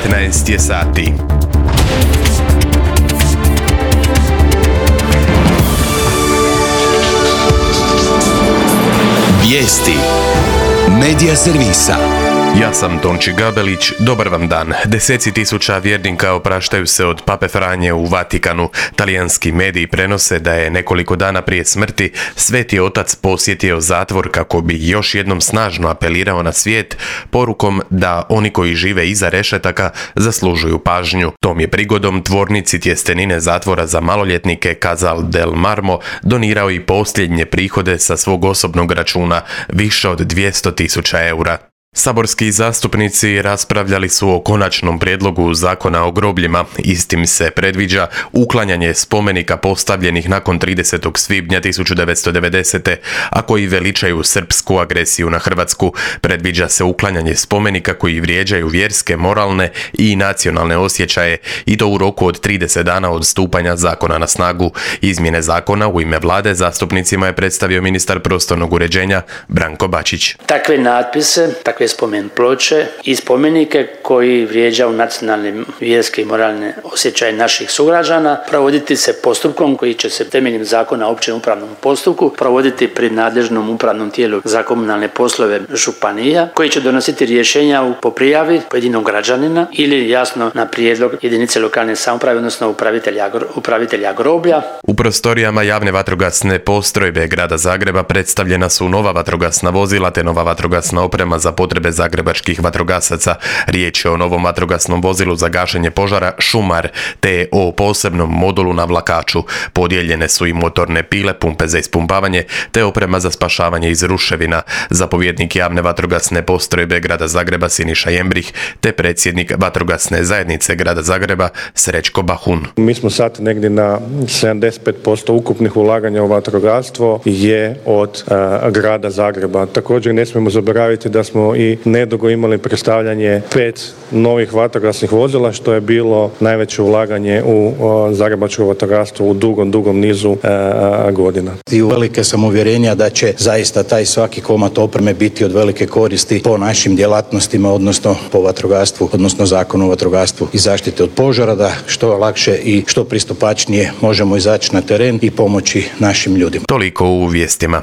19 je sati. Vijesti Medija servisa. Ja sam Tonči Gabelić, dobar vam dan. Deseci tisuća vjernika opraštaju se od Pape Franje u Vatikanu. Talijanski mediji prenose da je nekoliko dana prije smrti Sveti Otac posjetio zatvor kako bi još jednom snažno apelirao na svijet porukom da oni koji žive iza rešetaka zaslužuju pažnju. Tom je prigodom tvornici tjestenine zatvora za maloljetnike Casal del Marmo donirao i posljednje prihode sa svog osobnog računa, više od 200.000 eura. Saborski zastupnici raspravljali su o konačnom prijedlogu zakona o grobljima. Istim se predviđa uklanjanje spomenika postavljenih nakon 30. svibnja 1990. a koji veličaju srpsku agresiju na Hrvatsku. Predviđa se uklanjanje spomenika koji vrijeđaju vjerske, moralne i nacionalne osjećaje i to u roku od 30 dana od stupanja zakona na snagu. Izmjene zakona u ime vlade zastupnicima je predstavio ministar prostornog uređenja Branko Bačić. Takve natpise, takve spomen ploče i spomenike koji vrijeđaju nacionalne, vjerske i moralne osjećaje naših sugrađana provoditi se postupkom koji će se temeljem zakona o općem upravnom postupku provoditi pri nadležnom upravnom tijelu za komunalne poslove županija koji će donositi rješenja po prijavi pojedinog građanina ili jasno na prijedlog jedinice lokalne samouprave odnosno upravitelja groblja. U prostorijama javne vatrogasne postrojbe grada Zagreba predstavljena su nova vatrogasna vozila te nova vatrogasna oprema za potrebe zagrebačkih vatrogasaca. Riječ je o novom vatrogasnom vozilu za gašenje požara Šumar te o posebnom modulu na vlakaču. Podijeljene su i motorne pile, pumpe za ispumpavanje te oprema za spašavanje iz ruševina. Zapovjednik javne vatrogasne postrojbe grada Zagreba Siniša Jembrih te predsjednik vatrogasne zajednice grada Zagreba Srećko Bahun. Mi smo sad negdje na 75% ukupnih ulaganja u vatrogastvo je od grada Zagreba. Također ne smijemo zaboraviti da smo i nedugo imali predstavljanje 5 novih vatrogasnih vozila, što je bilo najveće ulaganje u zagrebačko vatrogastvo u dugom nizu godina. I velike sam uvjerenja da će zaista taj svaki komad opreme biti od velike koristi po našim djelatnostima, odnosno po vatrogastvu, odnosno zakonu o vatrogastvu i zaštite od požara, da što lakše i što pristupačnije možemo izaći na teren i pomoći našim ljudima. Toliko u vijestima.